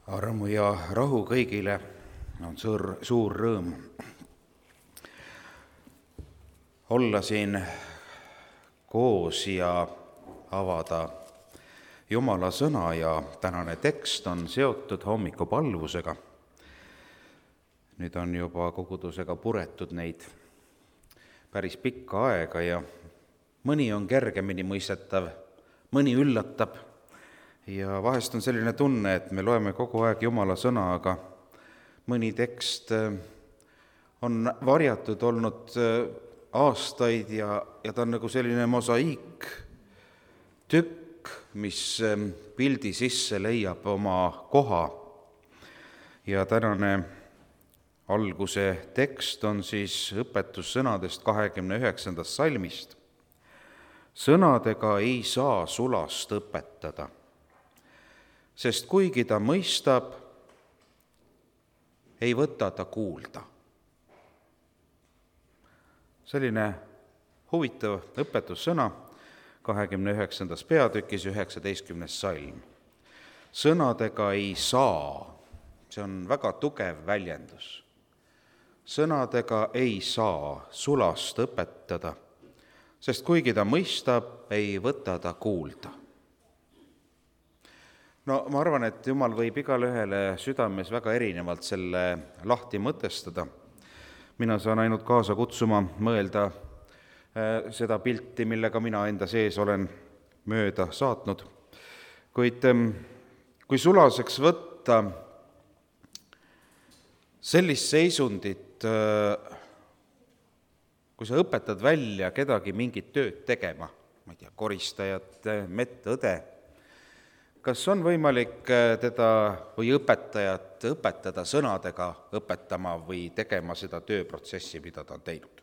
Armu ja rahu kõigile on suur rõõm olla siin koos ja avada Jumala sõna, ja tänane tekst on seotud hommikupalvusega. Nüüd on juba kogudusega puretud neid päris pikka aega ja mõni on kergemini mõistetav, mõni üllatab. Ja vahest on selline tunne, et me loeme kogu aeg Jumala sõna, aga mõni tekst on varjatud olnud aastaid ja ta on nagu selline mosaiiktükk, mis pildi sisse leiab oma koha. Ja tänane alguse tekst on siis õpetussõnadest 29. salmist. Sõnadega ei saa sulast õpetada, sest kuigi ta mõistab, ei võta ta kuulda. Selline huvitav õpetussõna 29. peatükis 19. salm. Sõnadega ei saa, see on väga tugev väljendus. Sõnadega ei saa sulast õpetada, sest kuigi ta mõistab, ei võta ta kuulda. No ma arvan, et Jumal võib igale ühele südames väga erinevalt selle lahti mõtestada. Mina saan ainult kaasa kutsuma mõelda seda pilti, millega mina enda sees olen mööda saatnud. Kuid kui sulaseks võtta sellist seisundit, kui sa õpetad välja kedagi mingit tööd tegema, ma ei tea, koristajat, medõde, kas on võimalik teda või õpetajat õpetada sõnadega õpetama või tegema seda tööprotsessi, mida ta on teinud?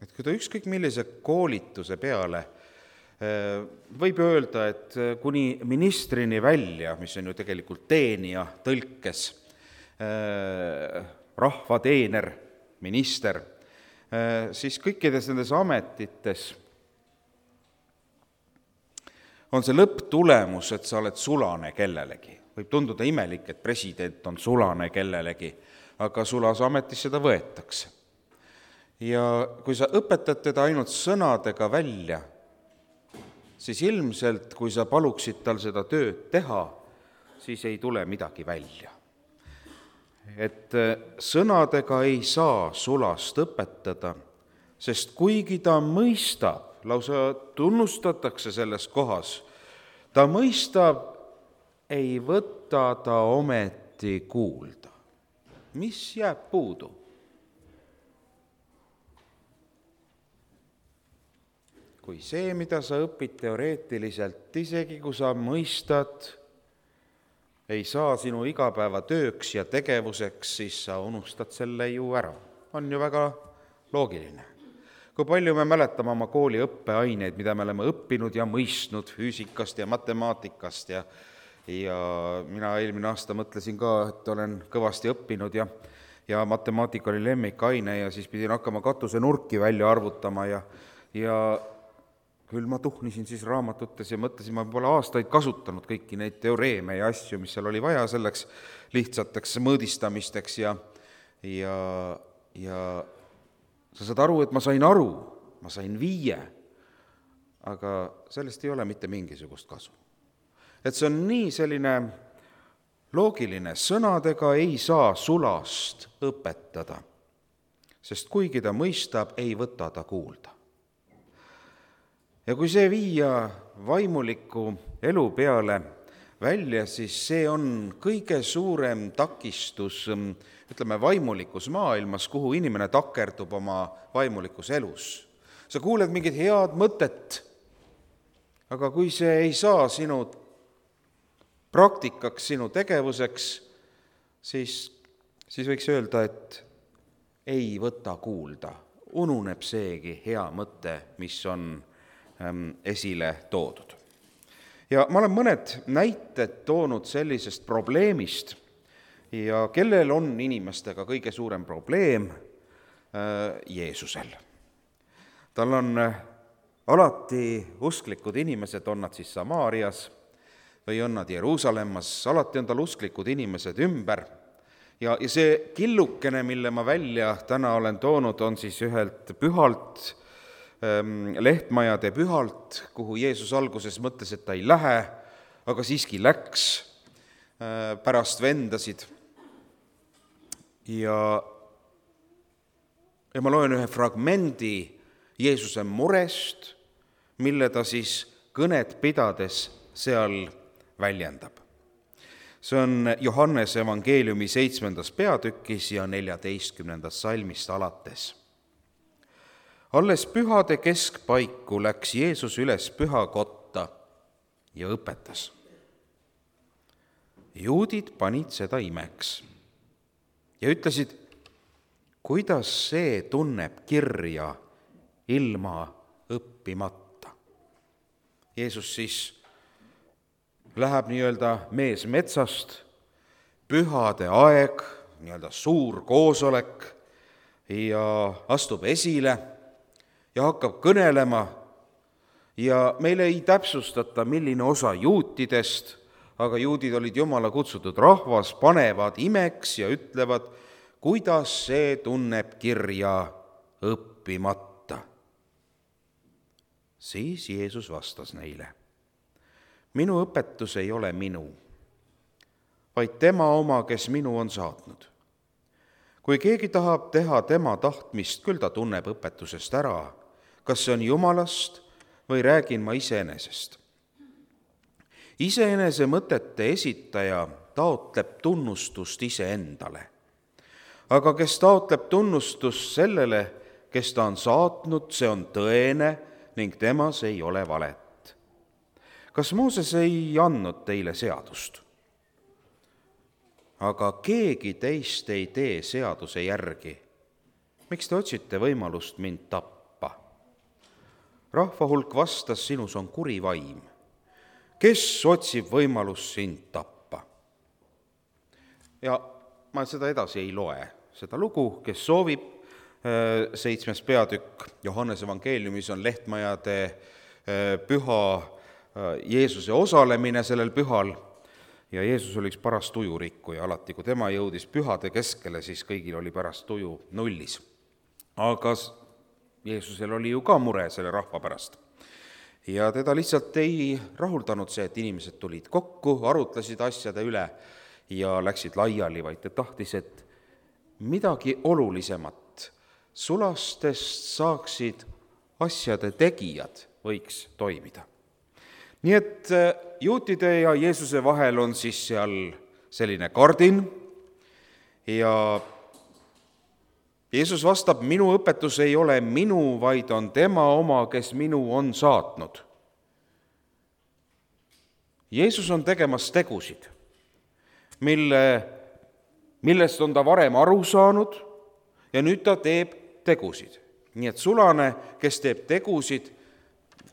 Et kui ta ükskõik millise koolituse peale võib öelda, et kuni ministrini välja, mis on ju tegelikult teenija tõlkes, rahvateener, minister, siis kõikides nendes ametites on see lõpptulemus, et sa oled sulane kellelegi. Võib tunduda imelik, et president on sulane kellelegi, aga sulase ametis seda võetakse. Ja kui sa õpetad teda ainult sõnadega välja, siis ilmselt, kui sa paluksid tal seda tööd teha, siis ei tule midagi välja. Et sõnadega ei saa sulast õpetada, sest kuigi ta mõistab, lausa tunnustatakse selles kohas, ta mõistab, ei võta ta ometi kuulda. Mis jääb puudu? Kui see, mida sa õpid teoreetiliselt, isegi kui sa mõistad, ei saa sinu igapäevatööks ja tegevuseks, siis sa unustad selle ju ära. On ju väga loogiline. Kui palju me mäletame oma kooli õppeaineid, mida me oleme õppinud ja mõistnud füüsikast ja matemaatikast ja mina eelmine aasta mõtlesin ka, et olen kõvasti õppinud ja matemaatika oli lemmikaine ja siis pidin hakkama katuse nurki välja arvutama ja küll ma tuhnisin siis raamatutes ja mõtlesin, ma pole aastaid kasutanud kõiki neid teoreeme ja asju, mis seal oli vaja selleks lihtsateks mõõdistamisteks ja sa saad aru, et ma sain 5, aga sellest ei ole mitte mingisugust kasu. Et see on nii selline loogiline, sõnadega ei saa sulast õpetada, sest kuigi ta mõistab, ei võta ta kuulda. Ja kui see viia vaimuliku elu peale välja, siis see on kõige suurem takistus, ütleme, vaimulikus maailmas, kuhu inimene takerdub oma vaimulikus elus. Sa kuuled mingit head mõtet, aga kui see ei saa sinu praktikaks, sinu tegevuseks, siis võiks öelda, et ei võta kuulda. Ununeb seegi hea mõte, mis on esile toodud. Ja ma olen mõned näited toonud sellisest probleemist ja kellel on inimestega kõige suurem probleem? Jeesusel. Tal on alati usklikud inimesed, on nad siis Samaarias või on nad Jeruusalemmas, alati on tal usklikud inimesed ümber. Ja see killukene, mille ma välja täna olen toonud, on siis ühelt pühalt, Lehtmajade pühalt, kuhu Jeesus alguses mõtles, et ta ei lähe, aga siiski läks pärast vendasid. Ja ma loen ühe fragmendi Jeesuse murest, mille ta siis kõnet pidades seal väljendab. See on Johannese evangeeliumi 7. peatükis ja 14. salmist alates. Alles pühade keskpaiku läks Jeesus üles pühakotta ja õpetas. Juudid panid seda imeks ja ütlesid, kuidas see tunneb kirja ilma õppimata. Jeesus siis läheb mees metsast, pühade aeg, suur koosolek ja astub esile ja hakkab kõnelema ja meile ei täpsustata, milline osa juutidest, aga juudid olid Jumala kutsutud rahvas, panevad imeks ja ütlevad, kuidas see tunneb kirja õppimata. Siis Jeesus vastas neile, minu õpetus ei ole minu, vaid tema oma, kes minu on saatnud. Kui keegi tahab teha tema tahtmist, küll ta tunneb õpetusest ära, kas see on Jumalast või räägin ma iseenesest. Iseenese mõtete esitaja taotleb tunnustust iseendale. Aga kes taotleb tunnustust sellele, kes ta on saatnud, see on tõene ning temas ei ole valet. Kas Mooses ei andnud teile seadust? Aga keegi teist ei tee seaduse järgi. Miks te otsite võimalust mind tappa? Rahva hulk vastas, sinus on kuri vaim. Kes otsib võimalust sind tappa? Ja ma seda edasi ei loe, seda lugu, kes soovib, 7. peatükk Johannese evangeeliumis on Lehtmajade püha Jeesuse osalemine sellel pühal ja Jeesus oli üks paras tujurikkuja alati, kui tema jõudis pühade keskele, siis kõigil oli pärast tuju nullis. Aga Jeesusel oli ju ka mure selle rahva pärast. Ja teda lihtsalt ei rahuldanud see, et inimesed tulid kokku, arutlesid asjade üle ja läksid laiali, vaid ta tahtis, et midagi olulisemat sulastest saaksid asjade tegijad võiks toimida. Nii et juutide ja Jeesuse vahel on siis seal selline kardin ja Jeesus vastab, minu õpetus ei ole minu, vaid on tema oma, kes minu on saatnud. Jeesus on tegemas tegusid, millest on ta varem aru saanud ja nüüd ta teeb tegusid. Nii et sulane, kes teeb tegusid,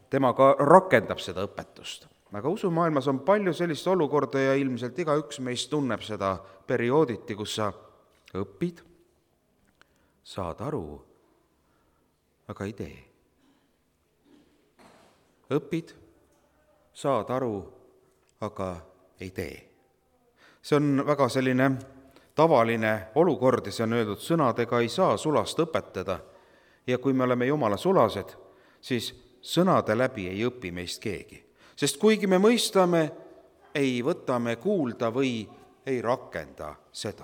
tema ka rakendab seda õpetust. Aga usumaailmas on palju sellist olukorda ja ilmselt igaüks meist tunneb seda periooditi, kus sa õpid, saad aru, aga ei tee. Õpid, saad aru, aga ei tee. See on väga selline tavaline olukord ja see on öeldud, sõnadega ei saa sulast õpetada. Ja kui me oleme Jumala sulased, siis sõnade läbi ei õpi meist keegi. Sest kuigi me mõistame, ei võta me kuulda või ei rakenda seda.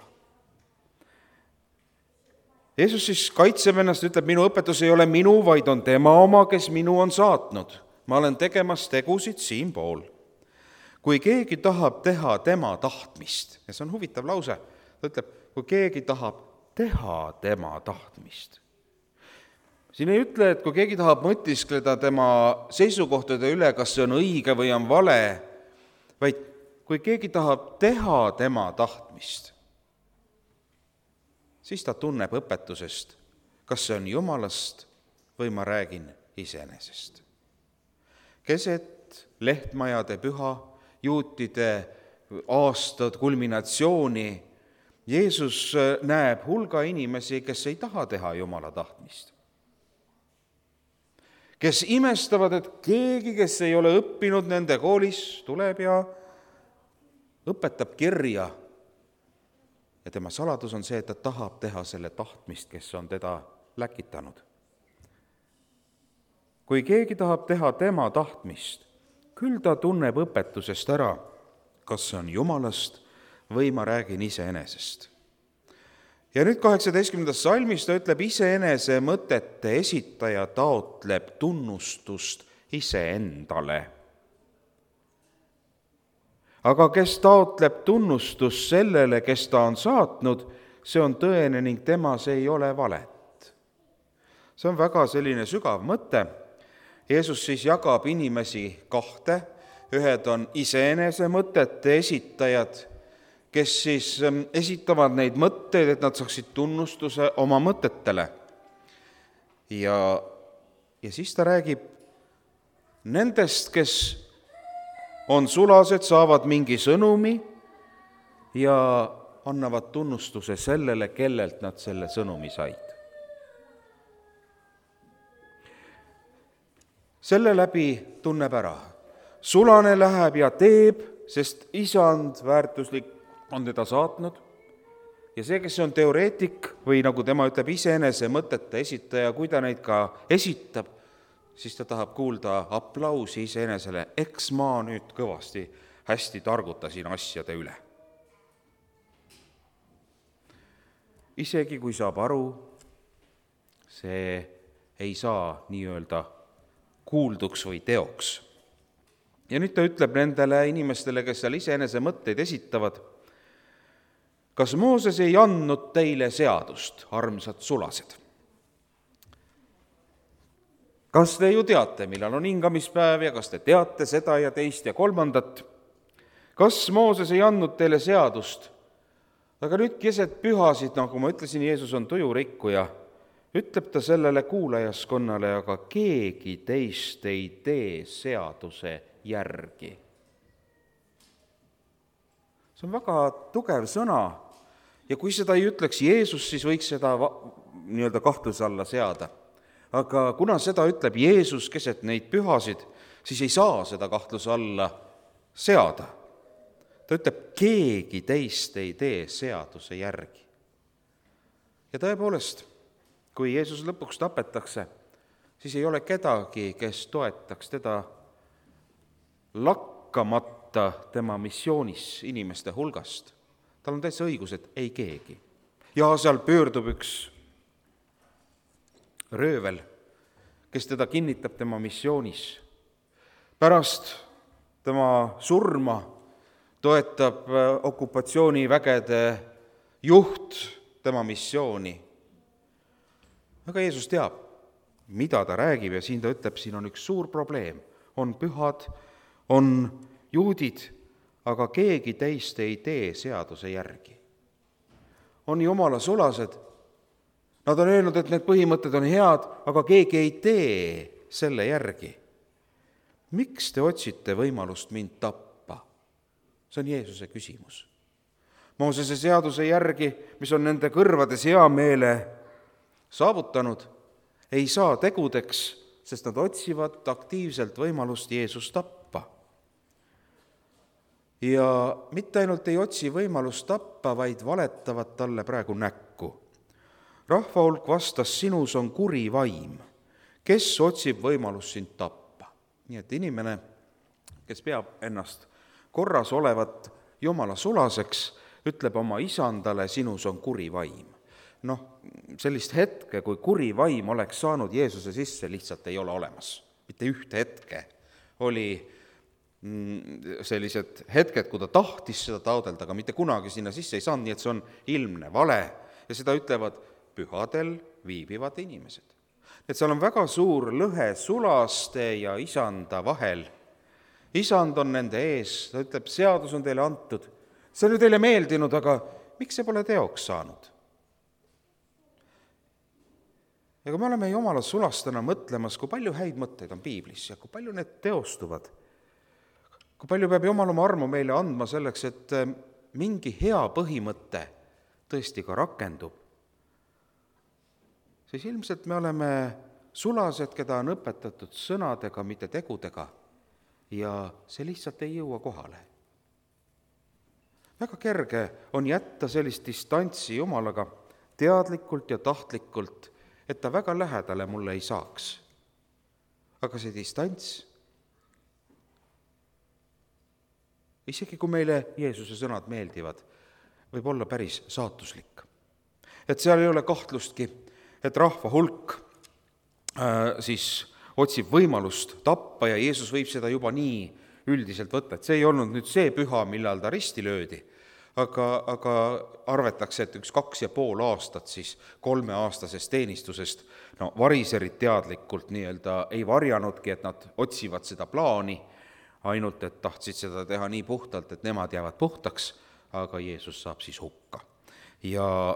Jeesus siis kaitseb ennast, ütleb, minu õpetus ei ole minu, vaid on tema oma, kes minu on saatnud. Ma olen tegemas tegusid siinpool. Kui keegi tahab teha tema tahtmist, ja see on huvitav lause, ta ütleb, kui keegi tahab teha tema tahtmist. Siin ei ütle, et kui keegi tahab mõtiskleda tema seisukohtade üle, kas see on õige või on vale, vaid kui keegi tahab teha tema tahtmist, siis ta tunneb õpetusest, kas see on Jumalast või ma räägin iseenesest. Keset Lehtmajade püha, juutide aastad kulminatsiooni, Jeesus näeb hulga inimesi, kes ei taha teha Jumala tahtmist. kes imestavad, et keegi, kes ei ole õppinud nende koolis, tuleb ja õpetab kirja. Ja tema saladus on see, et ta tahab teha selle tahtmist, kes on teda läkitanud. Kui keegi tahab teha tema tahtmist, küll ta tunneb õpetusest ära, kas see on Jumalast või ma räägin iseenesest. Ja nüüd 18. salmis ta ütleb, iseenese mõtete esitaja taotleb tunnustust iseendale. Aga kes taotleb tunnustust sellele, kes ta on saatnud, see on tõene ning temas ei ole valet. See on väga selline sügav mõte. Jeesus siis jagab inimesi kahte, ühed on iseenese mõtete esitajad, kes siis esitavad neid mõtteid, et nad saaksid tunnustuse oma mõtetele. Ja siis ta räägib nendest, kes on sulased, saavad mingi sõnumi ja annavad tunnustuse sellele, kellelt nad selle sõnumi said. Selle läbi tunneb ära. Sulane läheb ja teeb, sest isand väärtuslik on teda saatnud. Ja see, kes on teoreetik või nagu tema ütleb, iseenese mõtete esitaja, kui ta neid ka esitab, siis ta tahab kuulda aplausi iseenesele. Eks ma nüüd kõvasti hästi targutasin asjade üle. Isegi kui saab aru, see ei saa nii-öelda kuulduks või teoks. Ja nüüd ta ütleb nendele inimestele, kes seal iseenese mõtteid esitavad, kas Mooses ei andnud teile seadust, armsad sulased? Kas te ju teate, millal on hingamispäev ja kas te teate seda ja teist ja kolmandat? Kas Mooses ei andnud teile seadust? Aga nüüd keset pühasid, nagu ma ütlesin, Jeesus on tujurikkuja, ütleb ta sellele kuulajaskonnale, aga keegi teist ei tee seaduse järgi. See on väga tugev sõna ja kui seda ei ütleks Jeesus, siis võiks seda nii-öelda kahtluse alla seada. Aga kuna seda ütleb Jeesus keset neid pühasid, siis ei saa seda kahtluse alla seada. Ta ütleb, keegi teist ei tee seaduse järgi. Ja tõepoolest, kui Jeesus lõpuks tapetakse, siis ei ole kedagi, kes toetaks teda lakkamata tema missioonis inimeste hulgast. Tal on täitsa õigus, et ei keegi. Ja seal pöördub üks röövel, kes teda kinnitab tema missioonis. Pärast tema surma toetab okupatsioonivägede juht tema missiooni. Aga Jeesus teab, mida ta räägib ja siin ta ütleb, siin on üks suur probleem. On pühad, on juudid, aga keegi teist ei tee seaduse järgi. On Jumala sulased, nad on öelnud, et need põhimõtted on head, aga keegi ei tee selle järgi. Miks te otsite võimalust mind tappa? See on Jeesuse küsimus. Moosese seaduse järgi, mis on nende kõrvades hea meele saavutanud, ei saa tegudeks, sest nad otsivad aktiivselt võimalust Jeesust tappa. Ja mitte ainult ei otsi võimalust tappa, vaid valetavad talle praegu näkku. Rahva hulk vastas, sinus on kuri vaim, kes otsib võimalust sind tappa. Nii et inimene, kes peab ennast korras olevat Jumala sulaseks, ütleb oma isandale, sinus on kuri vaim. Sellist hetke, kui kuri vaim oleks saanud Jeesuse sisse, lihtsalt ei ole olemas. Mitte ühte hetke. Oli sellised hetked, kui ta tahtis seda taodelda, aga mitte kunagi sinna sisse ei saanud, nii et see on ilmne vale. Ja seda ütlevad pühadel viibivad inimesed. Et seal on väga suur lõhe sulaste ja isanda vahel. Isand on nende ees, ta ütleb, seadus on teile antud. See on ju teile meeldinud, aga miks see pole teoks saanud? Ega me oleme Jumala sulastena mõtlemas, kui palju häid mõtteid on piiblis ja kui palju need teostuvad. Kui palju peab Jumal oma armu meile andma selleks, et mingi hea põhimõte tõesti ka rakendub. Siis ilmselt me oleme sulased, keda on õpetatud sõnadega, mitte tegudega, ja see lihtsalt ei jõua kohale. Väga kerge on jätta sellist distantsi Jumalaga teadlikult ja tahtlikult, et ta väga lähedale mulle ei saaks. Aga see distants, isegi kui meile Jeesuse sõnad meeldivad, võib olla päris saatuslik. Et seal ei ole kahtlustki, et rahva hulk siis otsib võimalust tappa ja Jeesus võib seda juba nii üldiselt võtta, et see ei olnud nüüd see püha, millal ta risti löödi, aga arvatakse, et 2,5 aastat siis 3-aastasest teenistusest, variserid teadlikult ei varjanudki, et nad otsivad seda plaani, ainult et tahtsid seda teha nii puhtalt, et nemad jäävad puhtaks, aga Jeesus saab siis hukka. Ja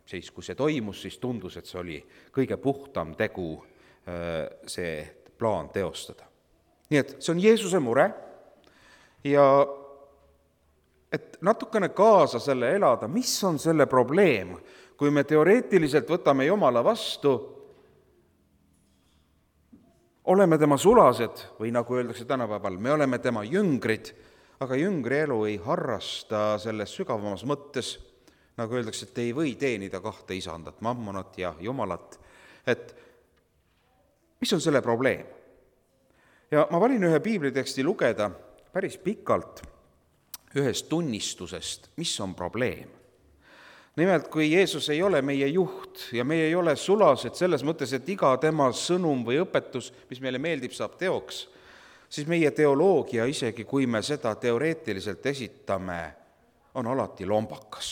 siis, kui see toimus, siis tundus, et see oli kõige puhtam tegu see plaan teostada. Nii et see on Jeesuse mure ja et natukene kaasa selle elada, mis on selle probleem, kui me teoreetiliselt võtame Jumala vastu, oleme tema sulased või nagu öeldakse tänapäeval, me oleme tema jüngrid, aga jüngri elu ei harrasta selles sügavamas mõttes, nagu öeldakse, et ei või teenida 2 isandat, mammonat ja Jumalat, et mis on selle probleem? Ja ma valin ühe piibliteksti lugeda päris pikalt ühest tunnistusest, mis on probleem. Nimelt, kui Jeesus ei ole meie juht ja meie ei ole sulased selles mõttes, et iga tema sõnum või õpetus, mis meile meeldib, saab teoks, siis meie teoloogia, isegi kui me seda teoreetiliselt esitame, on alati lombakas,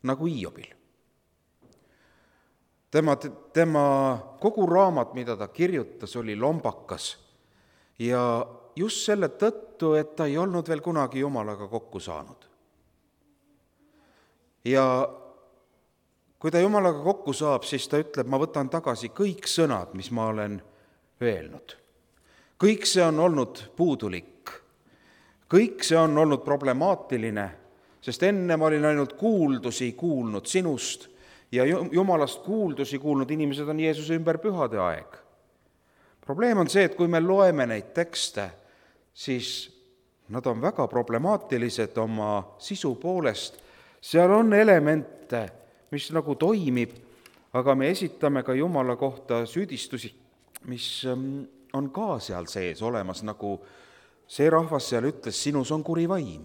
nagu Hiobil. Tema kogu raamat, mida ta kirjutas, oli lombakas ja just selle tõttu, et ta ei olnud veel kunagi Jumalaga kokku saanud. Ja kui ta Jumalaga kokku saab, siis ta ütleb, ma võtan tagasi kõik sõnad, mis ma olen öelnud. Kõik see on olnud puudulik. Kõik see on olnud problemaatiline, sest enne ma olin ainult kuuldusi kuulnud sinust ja Jumalast kuuldusi kuulnud inimesed on Jeesuse ümber pühade aeg. Probleem on see, et kui me loeme neid tekste, siis nad on väga problemaatilised oma sisu poolest. Seal on elemente, mis nagu toimib, aga me esitame ka Jumala kohta süüdistusi, mis on ka seal sees olemas, nagu see rahvas seal ütles, sinus on kuri vaim.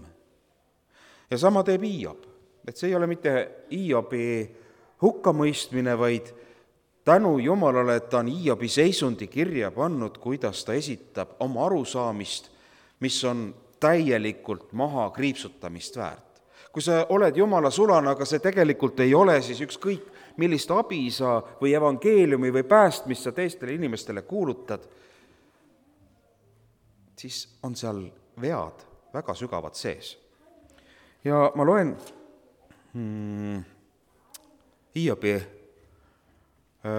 Ja sama teeb Hiob, et see ei ole mitte Hiobi hukkamõistmine, vaid tänu Jumalale, et ta on Hiobi seisundi kirja pannud, kuidas ta esitab oma arusaamist, mis on täielikult maha kriipsutamist väärt. Kui sa oled Jumala sulane, aga see tegelikult ei ole, siis ükskõik millist abi sa või evangeeliumi või päästmist sa teistele inimestele kuulutad, siis on seal vead väga sügavad sees. Ja ma loen Hiobi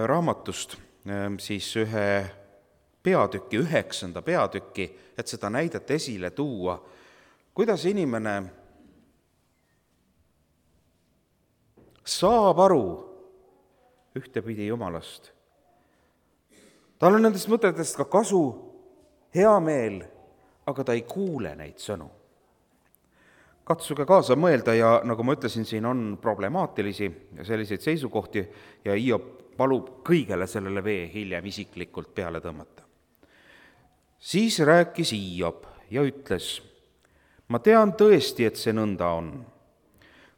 raamatust siis ühe peatüki, 9. peatüki, et seda näidet esile tuua, kuidas inimene saab aru ühtepidi Jumalast. Tal on nendest mõtetest ka kasu, hea meel, aga ta ei kuule neid sõnu. Katsuge kaasa mõelda ja nagu ma ütlesin, siin on problemaatilisi ja selliseid seisukohti ja Hiob palub kõigele sellele vee hiljem isiklikult peale tõmmata. Siis rääkis Hiob ja ütles, ma tean tõesti, et see nõnda on.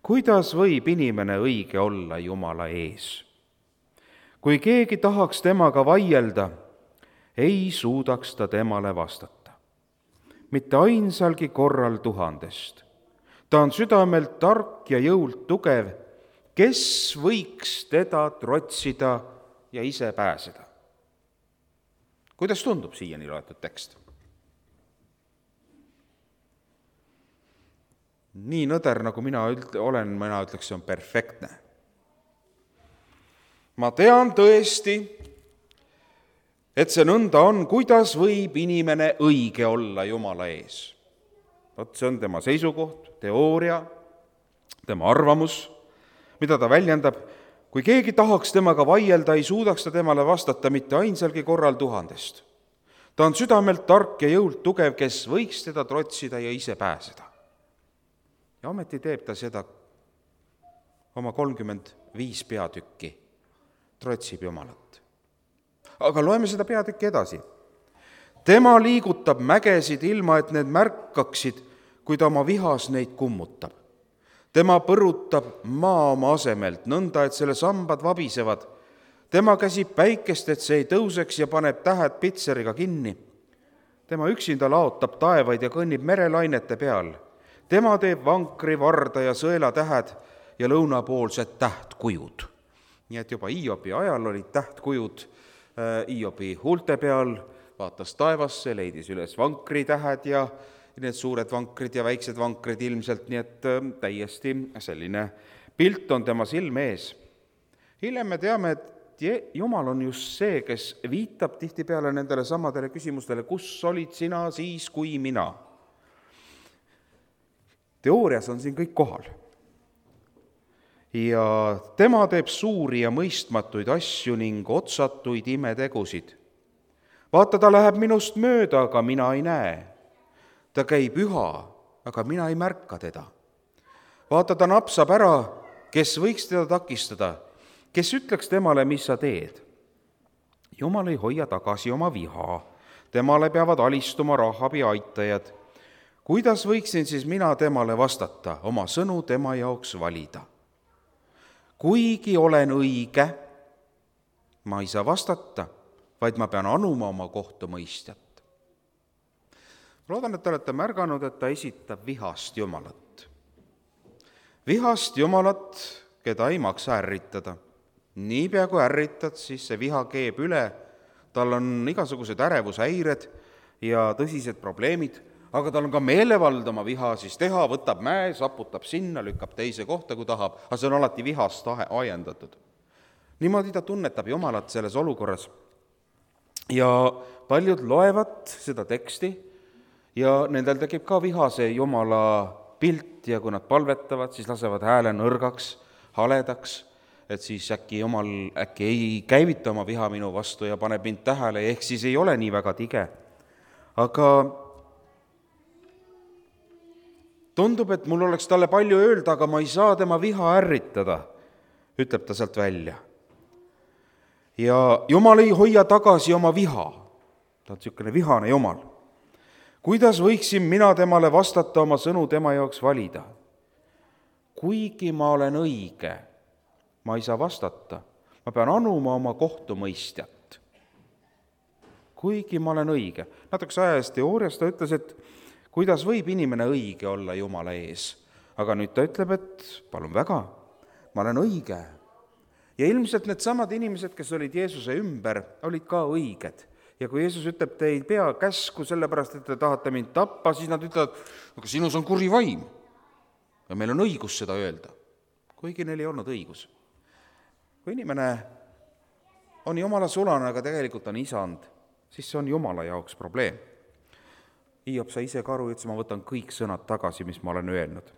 Kuidas võib inimene õige olla Jumala ees? Kui keegi tahaks temaga vaielda, ei suudaks ta temale vastata. Mitte ainsalgi korral 1000. Ta on südamelt tark ja jõult tugev, kes võiks teda trotsida ja ise pääseda. Kuidas tundub siiani loetud tekst? Nii nõder, nagu mina ütleks, see on perfektne. Ma tean tõesti, et see nõnda on, kuidas võib inimene õige olla Jumala ees. See on tema seisukoht, teooria, tema arvamus, mida ta väljendab, Kui keegi tahaks temaga vaielda, ei suudaks ta temale vastata mitte ainsalgi korral 1000. Ta on südamelt tark ja jõult tugev, kes võiks teda trotsida ja ise pääseda. Ja ometi teeb ta seda oma 35 peatükki, trotsib Jumalat. Aga loeme seda peatükki edasi. Tema liigutab mägesid ilma, et need märkaksid, kui ta oma vihas neid kummutab. Tema põrutab maa oma asemelt, nõnda, et selle sambad vabisevad. Tema käsib päikest, et see ei tõuseks ja paneb tähed pitseriga kinni. Tema üksinda laotab taevaid ja kõnnib merelainete peal. Tema teeb vankri, varda ja sõelatähed ja lõunapoolsed tähtkujud. Nii et juba Hiobi ajal olid tähtkujud Hiobi huulte peal, vaatas taevasse, leidis üles vankritähed ja need suured vankrid ja väiksed vankrid ilmselt, nii et täiesti selline pilt on tema silme ees. Hiljem me teame, et Jumal on just see, kes viitab tihtipeale nendele samadele küsimustele, kus olid sina siis, kui mina. Teoorias on siin kõik kohal. Ja tema teeb suuri ja mõistmatuid asju ning otsatuid imetegusid. Vaata, ta läheb minust mööda, aga mina ei näe. Ta käib üha, aga mina ei märka teda. Vaata, ta napsab ära, kes võiks teda takistada, kes ütleks temale, mis sa teed. Jumal ei hoia tagasi oma viha, temale peavad alistuma Rahabi aitajad. Kuidas võiksin siis mina temale vastata, oma sõnu tema jaoks valida? Kuigi olen õige, ma ei saa vastata, vaid ma pean anuma oma kohtumõistjat. Loodan, et te olete märganud, et ta esitab vihast Jumalat. Vihast Jumalat, keda ei maksa ärritada. Niipea kui ärritad, siis see viha keeb üle, tal on igasugused ärevushäired ja tõsised probleemid, aga tal on ka meelevald oma viha siis teha, võtab mäe, saputab sinna, lükkab teise kohta, kui tahab, aga see on alati vihast ajendatud. Niimoodi ta tunnetab Jumalat selles olukorras. Ja paljud loevad seda teksti ja nendel tekib ka vihase Jumala pilt ja kui nad palvetavad, siis lasevad hääle nõrgaks, haledaks, et siis äkki Jumal ei käivita oma viha minu vastu ja paneb mind tähele, ehk siis ei ole nii väga tige. Aga tundub, et mul oleks talle palju öelda, aga ma ei saa tema viha ärritada, ütleb ta sealt välja. Ja Jumal ei hoia tagasi oma viha, ta on niisugune vihane Jumal. Kuidas võiksin mina temale vastata, oma sõnu tema jaoks valida? Kuigi ma olen õige, ma ei saa vastata, ma pean anuma oma kohtumõistjat. Kuigi ma olen õige. Natukese aja eest teoorias ta ütles, et kuidas võib inimene õige olla Jumala ees. Aga nüüd ta ütleb, et palun väga, ma olen õige. Ja ilmselt need samad inimesed, kes olid Jeesuse ümber, olid ka õiged. Ja kui Jeesus ütleb, te ei pea käsku sellepärast, et te tahate mind tappa, siis nad ütlevad, aga sinus on kuri vaim. Ja meil on õigus seda öelda, kuigi neil ei olnud õigus. Kui inimene on Jumala sulane, aga tegelikult on isand, siis see on Jumala jaoks probleem. Hiob sai ise ka aru, ütles, ma võtan kõik sõnad tagasi, mis ma olen öelnud.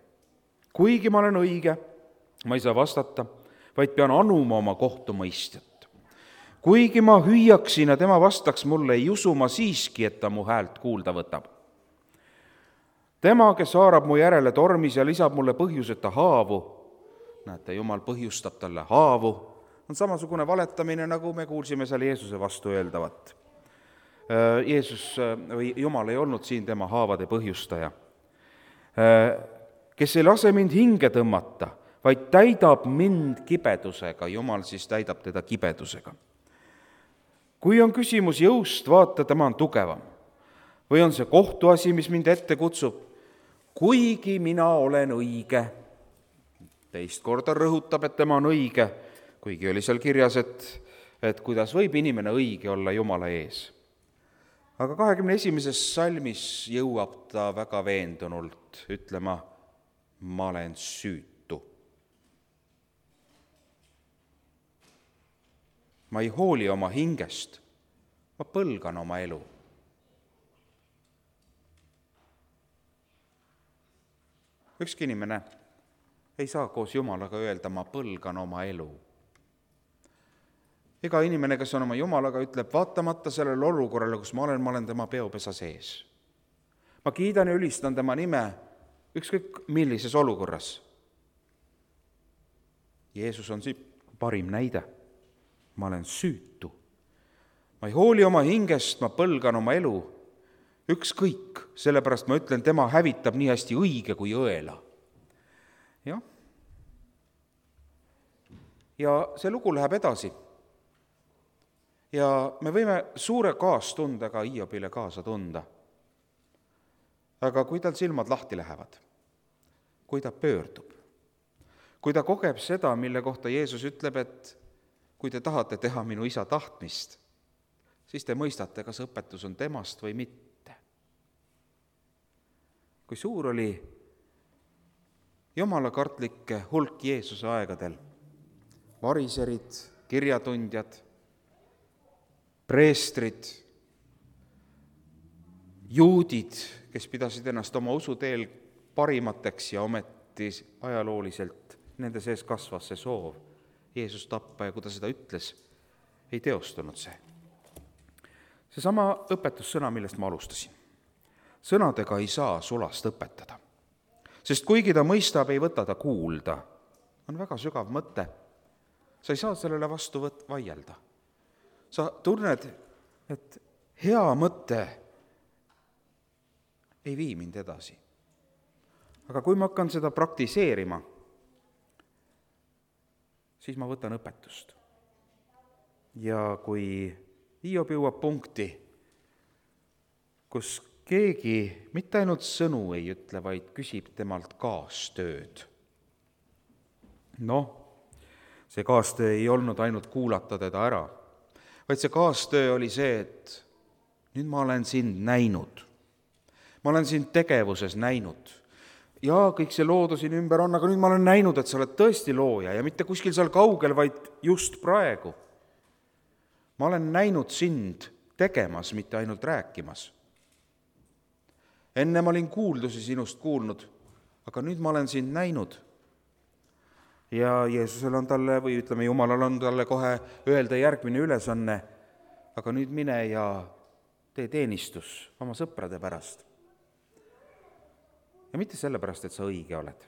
Kuigi ma olen õige, ma ei saa vastata, vaid pean anuma oma kohtumõistjat. Kuigi ma hüüaksin ja tema vastaks mulle, ei usu ma siiski, et ta mu häält kuulda võtab. Tema, kes haarab mu järele tormis ja lisab mulle põhjuseta haavu, näete, Jumal põhjustab talle haavu, on samasugune valetamine, nagu me kuulsime seal Jeesuse vastu öeldavat. Jumal ei olnud siin tema haavade põhjustaja, kes ei lase mind hinge tõmmata, vaid täidab mind kibedusega. Jumal siis täidab teda kibedusega. Kui on küsimus jõust, vaata, tema on tugevam. Või on see kohtuasi, mis mind ette kutsub, kuigi mina olen õige. Teist korda rõhutab, et tema on õige, kuigi oli seal kirjas, et kuidas võib inimene õige olla Jumala ees. Aga 21. salmis jõuab ta väga veendunult ütlema, ma olen süütu. Ma ei hooli oma hingest, ma põlgan oma elu. Ükski inimene ei saa koos Jumalaga öelda, ma põlgan oma elu. Iga inimene, kes on oma Jumalaga, ütleb, vaatamata sellele olukorrale, kus ma olen tema peopesa sees. Ma kiidan ja ülistan tema nime ükskõik millises olukorras. Jeesus on siin parim näide. Ma olen süütu. Ma ei hooli oma hingest, ma põlgan oma elu. Ükskõik, sellepärast ma ütlen, tema hävitab nii hästi õige kui õela. Jah. Ja see lugu läheb edasi. Ja me võime suure kaastundega Hiobile kaasa tunda. Aga kui tal silmad lahti lähevad, kui ta pöördub, kui ta kogeb seda, mille kohta Jeesus ütleb, et kui te tahate teha minu isa tahtmist, siis te mõistate, kas õpetus on temast või mitte. Kui suur oli jumalakartlikke hulk Jeesuse aegadel, variserid, kirjatundjad, preestrid, juudid, kes pidasid ennast oma usuteel parimateks ja ometi ajalooliselt nende sees kasvas see soov Jeesus tappa ja kui ta seda ütles, ei teostunud see. Seesama õpetussõna, millest ma alustasin. Sõnadega ei saa sulast õpetada, sest kuigi ta mõistab, ei võta ta kuulda. On väga sügav mõte. Sa ei saa sellele vastu vaielda. Sa tunned, et hea mõte ei vii mind edasi. Aga kui ma hakkan seda praktiseerima, siis ma võtan õpetust. Ja kui Hiob jõuab punkti, kus keegi mitte ainult sõnu ei ütle, vaid küsib temalt kaastööd. See kaastöö ei olnud ainult kuulata teda ära, vaid see kaastöö oli see, et nüüd ma olen sind näinud. Ma olen sind tegevuses näinud. Ja kõik see loodu siin ümber on, aga nüüd ma olen näinud, et sa oled tõesti looja ja mitte kuskil seal kaugel, vaid just praegu. Ma olen näinud sind tegemas, mitte ainult rääkimas. Enne ma olin kuuldusi sinust kuulnud, aga nüüd ma olen sind näinud. Ja Jeesusel on talle, või ütleme, Jumalal on talle kohe öelda järgmine ülesanne, aga nüüd mine ja tee teenistus oma sõprade pärast. Ja mitte sellepärast, et sa õige oled.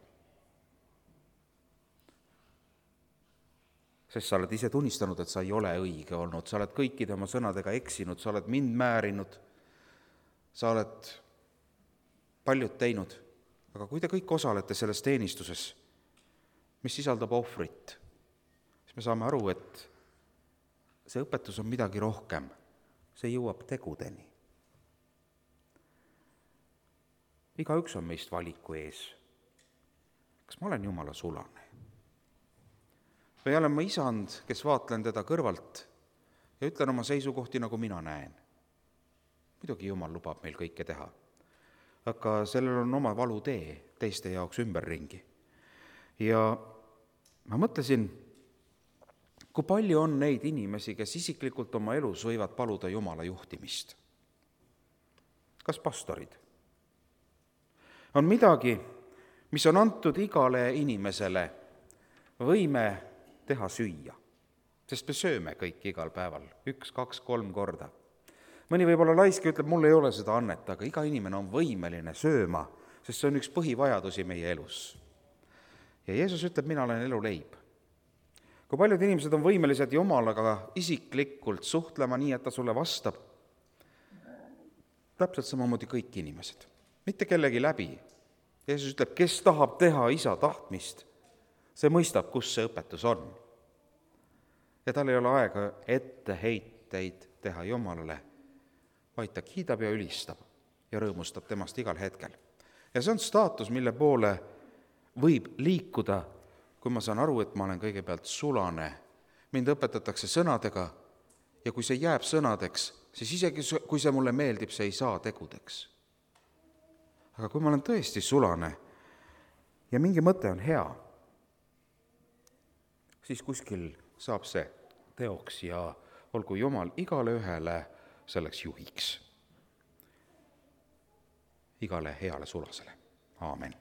Sest sa oled ise tunnistanud, et sa ei ole õige olnud, sa oled kõikide oma sõnadega eksinud, sa oled mind määrinud, sa oled paljud teinud, aga kui te kõik osalete selles teenistuses, mis sisaldab ohvrit, siis me saame aru, et see õpetus on midagi rohkem, see jõuab tegudeni. Igaüks on meist valiku ees. Kas ma olen Jumala sulane? Või olen ma isand, kes vaatlen teda kõrvalt ja ütlen oma seisukohti, nagu mina näen. Muidugi Jumal lubab meil kõike teha, aga sellel on oma valutee teiste jaoks ümberringi. Ja ma mõtlesin, kui palju on neid inimesi, kes isiklikult oma elus võivad paluda Jumala juhtimist. Kas pastorid? On midagi, mis on antud igale inimesele võime teha süüa, sest me sööme kõik igal päeval, 1, 2, 3 korda. Mõni võib-olla laisk ütleb, mul ei ole seda annet, aga iga inimene on võimeline sööma, sest see on üks põhivajadusi meie elus. Ja Jeesus ütleb, mina olen eluleib. Kui paljud inimesed on võimelised Jumalaga isiklikult suhtlema nii, et ta sulle vastab, täpselt samamoodi kõik inimesed. Mitte kellegi läbi. Jeesus ütleb, kes tahab teha isa tahtmist, see mõistab, kus see õpetus on. Ja tal ei ole aega etteheiteid teha Jumalale, vaid ta kiidab ja ülistab ja rõõmustab temast igal hetkel. Ja see on staatus, mille poole võib liikuda, kui ma saan aru, et ma olen kõigepealt sulane. Mind õpetatakse sõnadega ja kui see jääb sõnadeks, siis isegi kui see mulle meeldib, see ei saa tegudeks. Aga kui ma olen tõesti sulane ja mingi mõte on hea, siis kuskil saab see teoks ja olgu Jumal igale ühele selleks juhiks. Igale heale sulasele. Aamen.